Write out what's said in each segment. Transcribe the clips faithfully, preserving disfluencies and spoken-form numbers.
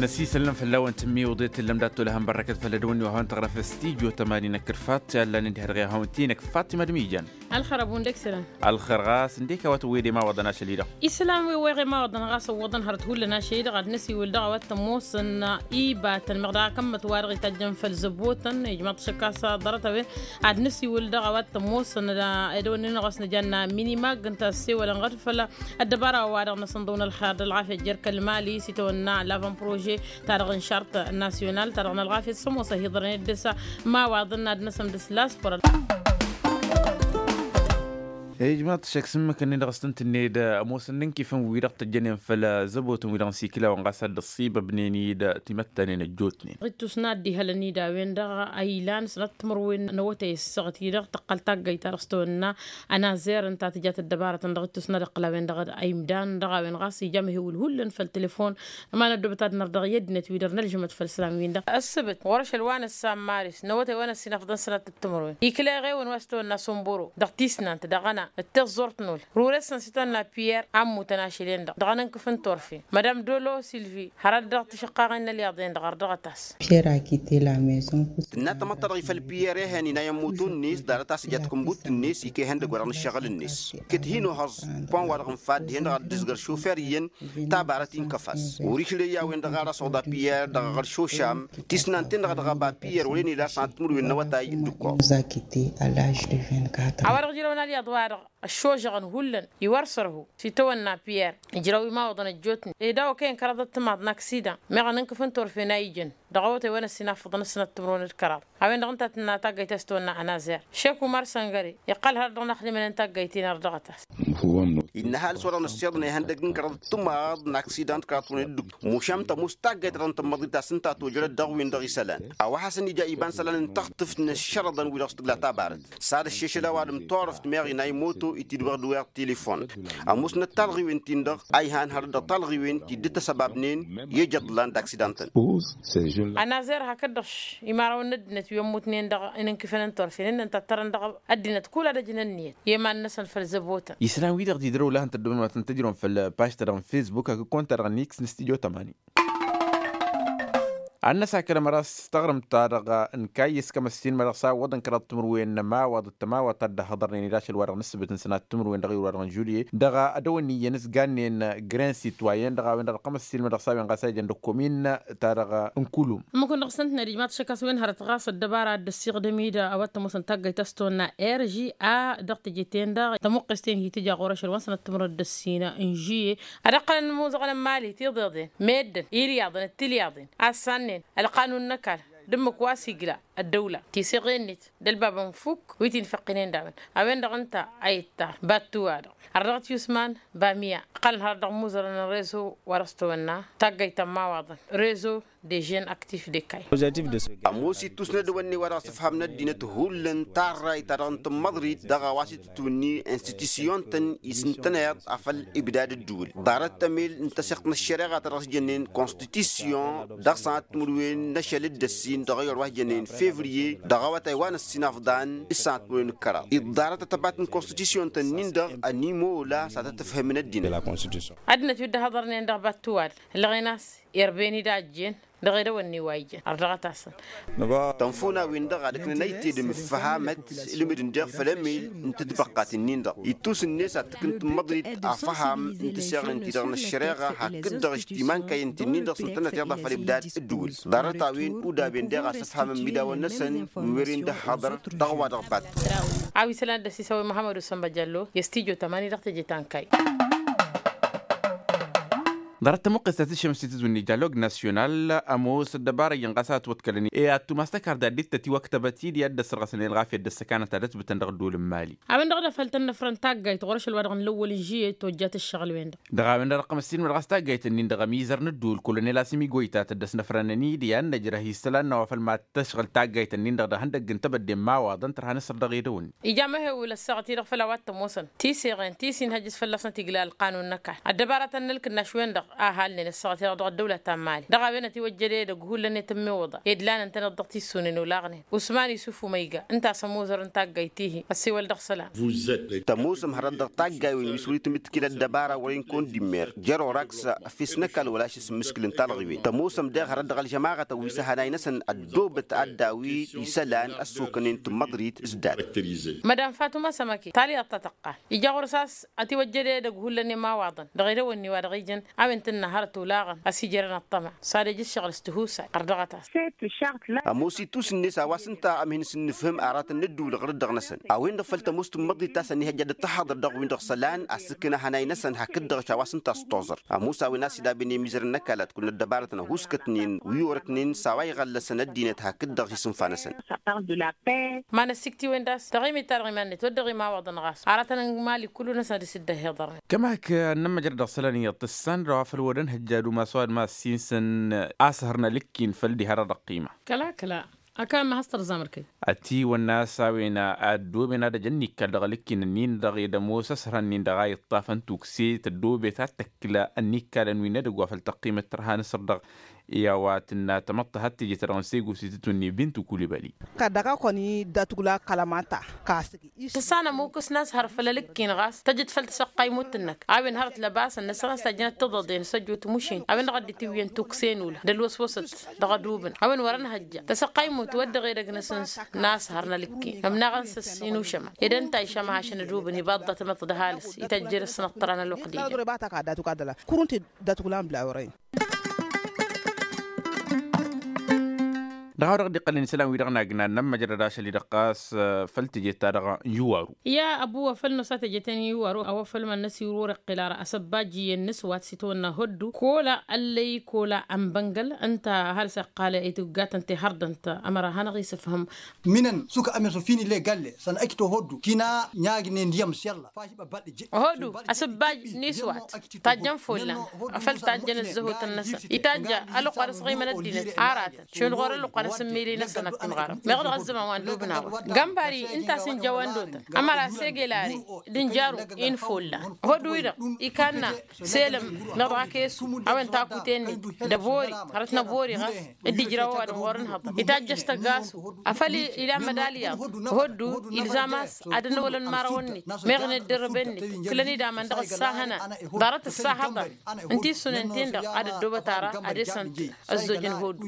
Năsisălnăm făll-a-wen tǝmmiwǝḍe tǝllăm dat-tolăhăn bărrăkăt făll-ădwănni wa hawăn-tăɣrăf s-tijo tămani n-akǝrfat i-allan dd-hărɣe hawăn-t-inăk fatima d-mijan. Alxăr abu n-deksălăn. Alxăr ɣas ǝndek a-wa tǝwwed i-imawaḍăn ašăl-i-dăɣ. Isălan wi weɣ imawaḍăn ɣas ǝwwăḍăn hărăt hullan ašăl-i-dăɣ ad-năsiwǝl dăɣ-a-wa t-ămoosăn ibatăn meɣ daɣ akămmăt-wa-dăɣ itajjăn făll-zăbotăn ijmaḍ-t šăkk a-s ḍarăt-a-wen ad-năsiwǝl dăɣ-a-wa t-ămoosăn. Edăwănnin ɣas nǝjanna minimag ǝnta ăssewălăn ɣad făll-ăddăbara wa-dăɣ n-asǝnḍǝw n-ălxer d-ălɣafyăt jer-kăl-mali s-itawănna l-avăn prože ta dăɣ-n šart nasyonal ta dăɣ-n ălɣafyăt s-ămoos ăhiḍărăn i-dd-s imawaḍăn ad-năsăm dăɣ-s laspăr. Ijmaḍ-t šăkk s-ǝmmǝk-ǝnnin-dăɣ s-tǝntǝnne d-ămoosăn n-inkifăn-wi-dăɣ tăjjănen făll-zăbotăn-wi-dăɣ n-sikǝlawăn ɣas ad-dd-ăṣṣibăbnen-dd timăttanen ăjjootnen. Ɣittus n-ad-dd-ihălăn-dd a-wen-dăɣ a ilan sănat timǝrwen n-awătay ăssaɣăt-i-dăɣ tăqqăl taggayt-ta-dăɣ s-tawănna ănazer ǝnta a tǝjat ăddăbarătăn dăɣ-ittus n-ad-iqqăl a-wen-dăɣ a imdan dăɣ-a-wen ɣas ija amăhewǝl hullan făll-telefon. Ămanăt dubăt ad-nărdăɣ i-ăddinăt-wi-dăr nălžămăt făll-isălan-win-dăɣ ăssăbăt ɣur-ašăl wa năssan maris n-awătay wa năssinăfḍăn sănat d-timǝrwen ikla iɣewăn wa s-tawănna sumburo dăɣ-tisnant daɣ ăna d-tiẓẓurt n-ul rures-năn s-itawănna piyer a ǝmmutăn ašăl-en-dăɣ dăɣ-anǝnkǝf n-turfen madam dolo silvi hărăt dăɣ-tišăqqaɣen n-ălyaḍ-en-dăɣ ărdăɣăt-as. Piyer a kite la maison. Tǝnna tamăḍt ta dăɣ-ifăl piyer ehăn inay ămmutu-net ḍarăt a-s ija takǝnbut-net ika ihăndăg wa dăɣ-nǝššăɣǝl-net. Kăt-hin-ohăẓ pon-wa-dăɣ n-fadd hen-dăɣ ad-dd-izgăr šofer iyyăn tabarăt inkăf-as. Ur išlăy i-a-wen-dăɣ a rasăɣda piyer dăɣ-aɣăr šošam tisnant-en-dăɣ a dăɣ-ăba piyer wăren ila sănat timǝrwen n-awătay d-ǝkkoḍ. A-wa-dăɣ ǝjrăwăn alyaḍ-wa-dăɣ ăššožăɣăn hullan iwăr sărhu s-itawănna piyer ijrăw imawăḍăn ăjjootnen ed a-wa kăyăn kăraḍăt timaḍ n-aksidan meɣ ănǝnkǝf n-turfen a ijăn dăɣ-awătay wa năssinafăḍăn ăssinăt timǝrwen d-kăraḍ. A-wen-dăɣ ǝnta a tǝnna taggayt a-s tăwănna ănazer šek umar săngăre iqqăl hărăt dăɣ-inaxdimăn n-taggayt-in ărdăɣăt-as. Innă ăhalǝs wa dăɣ-năssiḍăn ihăndăg n-kăraḍăt timaḍ n-aksidan d-kăraḍăt-wen dd-ǝkkoḍ mušam tămoos taggayt ta dăɣ-nǝtǝmmăḍrit a-s ǝnta a tojărăt dăɣ-win-dăɣ isălan. A-wa hasăn-ija iba n-isălan n-taɣtǝft n-ăššărăḍăn wi-dăɣ s-tǝgla tabarăt s-ad-ăššešăl a-wa d-ǝmturăft meɣ inay moto itidwăɣ d-wer tilifon. Ămoosnăt talɣiwen-tin-dăɣ a ihan hărăt dăɣ-talɣiwen ti dd-tăsăbabnen i-ejăḍlan d-aksidan-tăn. Ănazer hakd-dăɣ imarawăn n-ăddinăt wi ămmutnen dăɣ-inǝnkǝfăn n-turfen ǝnnăn tattărăn dăɣ-ăddinăt kull ad-ăjǝn ănniyăt i-iman-năsăn făll-zăbotăn. Isălan-wi-dăɣ tidrăw lahăn tăddăwăn wa tăn-tăjrăwăn făll-paž-ta-dăɣ n-fesbuk hakd kont-ta-dăɣ n-x n-stujo tămani. Ad-năsakăl ămăra s-taɣrǝmt-ta-dăɣ n-kayy s-kămăssin ma dăɣ-s a ǝwwăḍăn kăraḍ timǝrwen n-ămawaḍ d-tămawaḍt ta dd-ăhhăḍărnen i-dašăl wa dăɣ-nǝssǝbǝt n-sănat timǝrwen dăɣ-iwra dăɣ-n žulye dăɣ-edăwănni iyyăn s-gannen grin sitwayen dăɣ-a-wen-dăɣ dăɣ-kămăssin ma dăɣ-s a-wen ɣas a ijăn dăɣ-komin ta-dăɣ n-kulum. Ǝmmǝk-wăn-dăɣ s-ǝntǝned ijmaḍ-t šăkk a-s wen hărăt ɣas ăddăbara a dd-ăssiiɣdăm i-dd a-wa t-ămoosăn taggayt a-s tăwănna rga dăɣ-teje-ten-dăɣ tămuqqes-ten hi-tǝja ɣur-ašăl wa n-sănăt timǝrwen d-ăssină n-žuye. Ad-ăqqălăn imuzăɣăn n-imali tiḍeḍen meddǝn ilyaḍăn d-tilyaḍen a ăssannen ălqanun n-ăkall d-ǝmmǝk wa s-igla ăddăwla tiseɣe-net d-ălbab ănfuk wi t-infăqqinen d-a-wen. A-wen-dăɣ ǝnta a ittar battu-wa-dăɣ ărdăɣăt yusman bamiya ăqqălăn hărăt dăɣ-imuzărăn n-rezo wa dăɣ-s tăwănna taggayt ta n-imawaḍăn rezo de žen aktif de kay. Ămoos ittus n-edăwănne wa dăɣ-s ǝfham n-ăddinăt hullan tarrayt ta dăɣ-n tǝmmăḍrit dăɣ-a-wa s-itǝtwǝnni institusyon-tăn isǝntăneḍ afăl ibdad ǝddǝwǝl ḍarăt tămel n-tăseɣt n-ăššăreɣa ta dăɣ-s jănnen konstitusyon dăɣ-sănat timǝrwen n-ašăl d-ăssin dăɣ-ayăr wa s-jănnen fevriye dăɣ-awătay wa n-ăssin afḍan s-sănat timǝrwen d-kăraḍ iḍḍarăt ătăbat n-konstitusyon-tăn-in-dăɣ ănimola s-ad-tăt-ǝfhǝmǝn ăddinăt. Ăddinăt wi dd-ăhhăḍărnen dăɣ-battu-wa-dăɣ ǝllăɣen a-s irben-i d-a ǝjjen dăɣ-edăwănni wa ijăn ărdăɣăt-asăn. Tănfuna-win-dăɣ ad-ǝknăn ayǝtted n-ǝffăhamăt ǝlmǝd-in deɣ făll-emel n-tǝtbăqqat-nin-dăɣ ittus-net ad-tǝkǝn tǝmmăḍrit afăham n-tǝseɣen-ti-dăɣ n-ăššăreɣa hakd-dăɣ ǝžtimankăyăn-ti-nin-dăɣ s-ǝntăneḍ iḍa făll-ibdad ǝddǝwǝl ḍarăt-a-wen udaben deɣ a-s ăfhamăn imidawăn-năsăn wi wăren d-ăhhăḍăr dăɣ-wa-dăɣ bat. A-wa isălan d-ăsisăwăy muhămmăd usăn băjăllo i-studyo tămani dăɣ-teje ta n-kayy. Ḍarăt tămuqqest ta tǝššăm s-titǝzwǝnni jalog nasyonal ămoos ăddăbara iyyăn ɣas a ătwăḍkălăn i-ad-tumas tăkarda dd-tătiwăktăbăt-dd i-ad-dd-ăsrăɣăsăn i-ălɣafyăt d-ăssăkanăt ta dd-ătbǝtăn dăɣ-ădduul n-mali. A-wen-dăɣ d-afăl tăn-năfrăn taggayt ɣur-ašăl wa dăɣ-nǝllăwwăl n-žiyet tojjat ǝššăɣǝl-wen-dăɣ. Dăɣ-a-wen-dăɣ dăɣ-kămăssin wa dăɣ-s taggayt-ǝnnin-dăɣ ămizăr n-ǝddǝwǝl kullăn i-lasǝm igoyta tăddăs năfrănăn-dd i-ad-năjrăh isălan n-a-wa făl mad-tăšɣǝl taggayt-ǝnnin-dăɣ dăɣ-ihăndăgg n-tebădde n-imawaḍăn tărha n-asăr dăɣ-edăwănni. Ija amăhewǝl ăssaɣăt-i-dăɣ făll-a-wa t-ămoosăn tiseɣen ti s-inhăjjăs fălla-săn tigla ălqanun n-ăkall ăddăbaratăn n-ǝlkǝnnaš-wen-dăɣ. ahalnen ăssaɣăt-i-dăɣ dăɣ-ăddăwla ta n-mali dăɣ-a-wen ătiwăjjăd edăgg hullan i-tămmiwăḍa edlan ǝntăneḍ dăɣ-tissune n-olaɣnen usman isuf umayga ǝnta a-s ămuzăr n-taggayt-ihi ăssiwăl dăɣ-isălan. Tămoosăm hărăt dăɣ-taggayen wi s-wăr-itǝmmǝtkǝl ăddăbara wăren kăwăn-dd-immer jer-oraks. Ăffes n-ăkall wăla ašǝs n-imǝskǝl n-talɣiwen tămoosăm daɣ hărăt dăɣ-ălžămaɣăt ăwwisa hanay-năsăn ăddoobăt ad-daw-i isălan ăssokănen tǝmmăḍrit s-dat. Mădan fatuma sămăke talyaḍt ta tăqqal ija ɣur-s a-s ătiwăjjăd edăgg hullan i-imawaḍăn dăɣ-edăwănni wa dăɣ-ijăn a-wen tǝnna hărăt olaɣăn a-s ijărăn ăṭṭăma s-ad-ej ǝššăɣǝl s-tihusay ɣăr dăɣ-ătas. Ămoos itus-net a-wa s-ǝnta amhin s-ǝnnǝfhǝm aratăn n-ădduul ɣǝr-dd dăɣ-năsăn a-wen-dăɣ făl tămoos tǝmmăḍit ta s-ănihăjja d-ăttăxaḍăr dăɣ-win-dăɣ isălan a-s ǝkna hanay-năsăn hakd-dăɣ a-wa s-ǝnta a s-toẓăr. Ămoos a-wen a-s idabăn i-imizărăn n-ăkall ad-kăwăn-ăddăbarătăn ăhuuskătnen wi orăknen s-a-wa iɣăllăsăn ăddinăt hakd-dăɣ isǝnfa-năsăn. Ma n-ăssiktiwen d-a-s dăɣ-imit-ta-dăɣ iman-net wăr dăɣ-imawaḍăn ɣas aratăn n-mali kullu-năsăn ad-dd-sǝddăh iḍărnen. Kămak n-ămmăjrăd dăɣ-isălan iyyăḍ tǝssan dăɣ-a-wa făl wăr ănhăjja ad-umas wa d-ma ăssinsăn a-s hărnăl ǝkkin făll-diha-dăɣ dăɣ-qiima. Kăla kăla. Akam ma has-tărzam ărkăy. Ătiwănna a-s a-wen a ăddooben ad-ăj ănnikkal dăɣ-ălǝkkin-ǝnnin-dăɣ ed ămoos ăsrănnen dăɣ-a iṭṭafăn tukse tăddoobet ad-tăkla ănnikkalăn wi n-edăgg wa făl tăqqimăt tărha nǝsăr-dăɣ. I-a-wa tǝnna tamăḍt tăhăttăjăt dăɣ-nǝsegu s-itǝtwǝnni bintu kulibali. Kăl-dăɣ-a kăwăn-i datugla kălămata. Tǝssanăm ukǝs n-a-s hărăt făll-ălǝkkin ɣas tăjăt făll-tăsăqqaymut-năk a-wen hărăt lăbasăn năsăn a-s tajjănăt tiḍăḍen s-ăjjoot mušin a-wen-dăɣ a dd-itǝwwǝyăn tukse n-ula d-ălwăswăsăt. Dăɣ-ădubǝn a-wen wăr-ănhăjja tăsăqqaymut wăr dăɣ-edăgg-năsăn. N-a-s hărnăl ǝkkin ămnaɣăn s-ăss inušăma ed ǝnta a išămăhăšăn ădubǝn iba ăḍḍa tamăḍt d-ăhalǝs ităjjăr ăssănăṭṭăra n-ălwăqq d-ija. Datuglan bla wărăyăn. Dăɣ-a-wa dăɣ-dd-iqqălăn isălan-wi-dăɣ n-agna n-ămmăjrăd ašăl-i-dăɣ ɣas făll-teje-ta-dăɣ n-iwaru. I-a ăbu wa făl n-osa teje-ten iwaru a-wa făl mănnăs iwru wăr-iqqǝl ara asăbbaj iyyăn n-aswat s-itawănna hoddu kola ăllăy kola ănbăngăl. Ǝnta ăhalǝs iqqal ituggatăn tehărdănt ămăra hanăɣ-isǝfhǝm. Minăn sukk-ămesăf-in ilegalle săn ăj tohoddu kinanyagnen d-iyyăm s-iyyălla. Hoddu asǝbbaj n-iswat tajjăn follan afăl tajjăn ăzzăhotăn-năsăn itajj ălluqqa d-asɣimăn ăddinăt aratăn šund ɣur-ălluqqa n-asǝmmili-năsăn ad-tunɣarăm meɣ dăɣ-ăzzăman wa n-dubnawa. Gambari ǝnta a-s ǝnja wa n-dotăn ămăra segel ari d-ǝnjaru i-n-follan hoddu-wi-dăɣ ikanna selăm meɣ dăɣ-akesu a-wen takuten-net d-ăbori hărăt n-ăbori ɣas dd-ijraw ăwadǝm ɣur-ǝnhăḍăn itajj ăstăgasu afăl ila mădalyaḍ. Hoddu ilzam a-s ad-ănwălăn imărawăn-net meɣ n-ăddărrăben-net. Kǝlăn-dd aman dăɣ-ăssahănan ḍarăt ăssahăḍăn ǝnta issunen-ten-dăɣ ad-ăddoobăt ara ad-esăn ăzzojăn hoddu.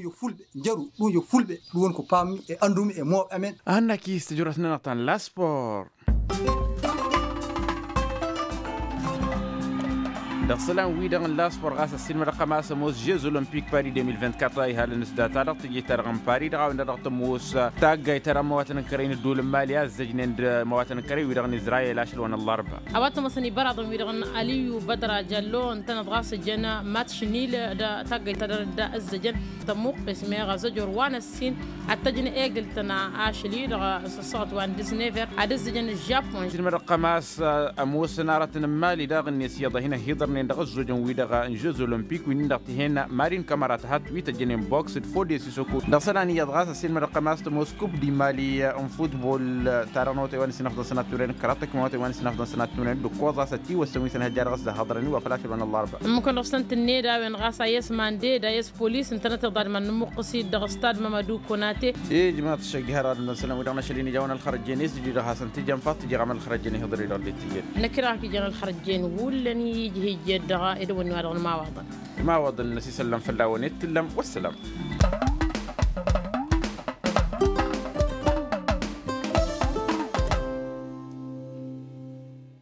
Ǝnjăru d-unjăk fulbe d-wăn kupa ăndum e-mob emen. Ăhănnak-i s-tijrăt-nănăɣ ta n-laspor. Dăɣ-isălan-wi-dăɣ n-laspor ɣas ăssiilmădăɣ-tăm a-s ămoos žez olămpik pari deux mille vingt-quatre a ihalăn s-data-dăɣ teje-ta-dăɣ n-pari dăɣ-a-wen-dăɣ tămoos taggayt ta dăɣ-imăwatăn n-kărăy n-ădduul n-mali a ăzzăjnen d-imăwatăn n-kărăy-wi-dăɣ n-izrayel ašăl wa n-ăllarba. A-wa t-ămoosăn ibăraḍăn-wi-dăɣ n-aliyu bădra jallo ǝntăneḍ ɣas ǝjăn matš n-il d-taggayt ta dăɣ-dd-ăzzăjăn tămmuqqes meɣ azăjor wa n-ăssin ad-t-ăj n-egǝl-tăn ašăl-i-dăɣ s-ăssaɣăt wa n-dǝsnever ad-ăzzăjăn ăžžapun. Ăssiilmădăɣ-tăm a-s ămoosăn aratăn n-imali daɣ-net iyyăḍ a hin-ăhhiḍărnen dăɣ-ăzzojăn-wi-dăɣ n-žez olămpik wi-nin-dăɣ tihen mari n-kămăra tăhăt wi tăjjănen boks d-fode sisoko. Dăɣ-isălan iyyăḍ ɣas ăssiilmădăɣ-tăm a-s tămoos kub d-imali n-futbol ta dăɣ-năwătay wa n-ăsinăfḍăn sănat turăyăn kăraḍ tăkmăwătay wa n-ăsinăfḍăn sănat turăyăn d-ǝkkoẓ a-s ătiwăssăn wi s-ănhăjja dăɣ-s dăɣ-hăḍrăn-i wa făl ašăl wa n-ăllarba. Ǝmmǝkăn dăɣ-săn tǝnned a-wen ɣas a i-ăsman ded a i-ăspolis ǝntănăt iḍadman n-imǝqqǝs-dd dăɣ-stad mamadu konate. Ijmaḍ-t šăj diha dăɣ-ad-ǝndăn isălan-wi-dăɣ n-ašăl-in ija a-wen ălxărăjjen i-s dd-ija dăɣ-hasăn-t-ija n-faḍt tǝja ɣam ălxărăjjen ihǝḍăr-i-dăɣ dd-tǝjed. Năkk-i-dăɣ ak-ijan ălxărăjjen hullan i-ija ijed dăɣ-edăwănni wa dăɣ-nǝmawăḍăn. Nǝmawăḍăn n-asisăllăm făll-a-wen i-t-tǝllăm wăssălam.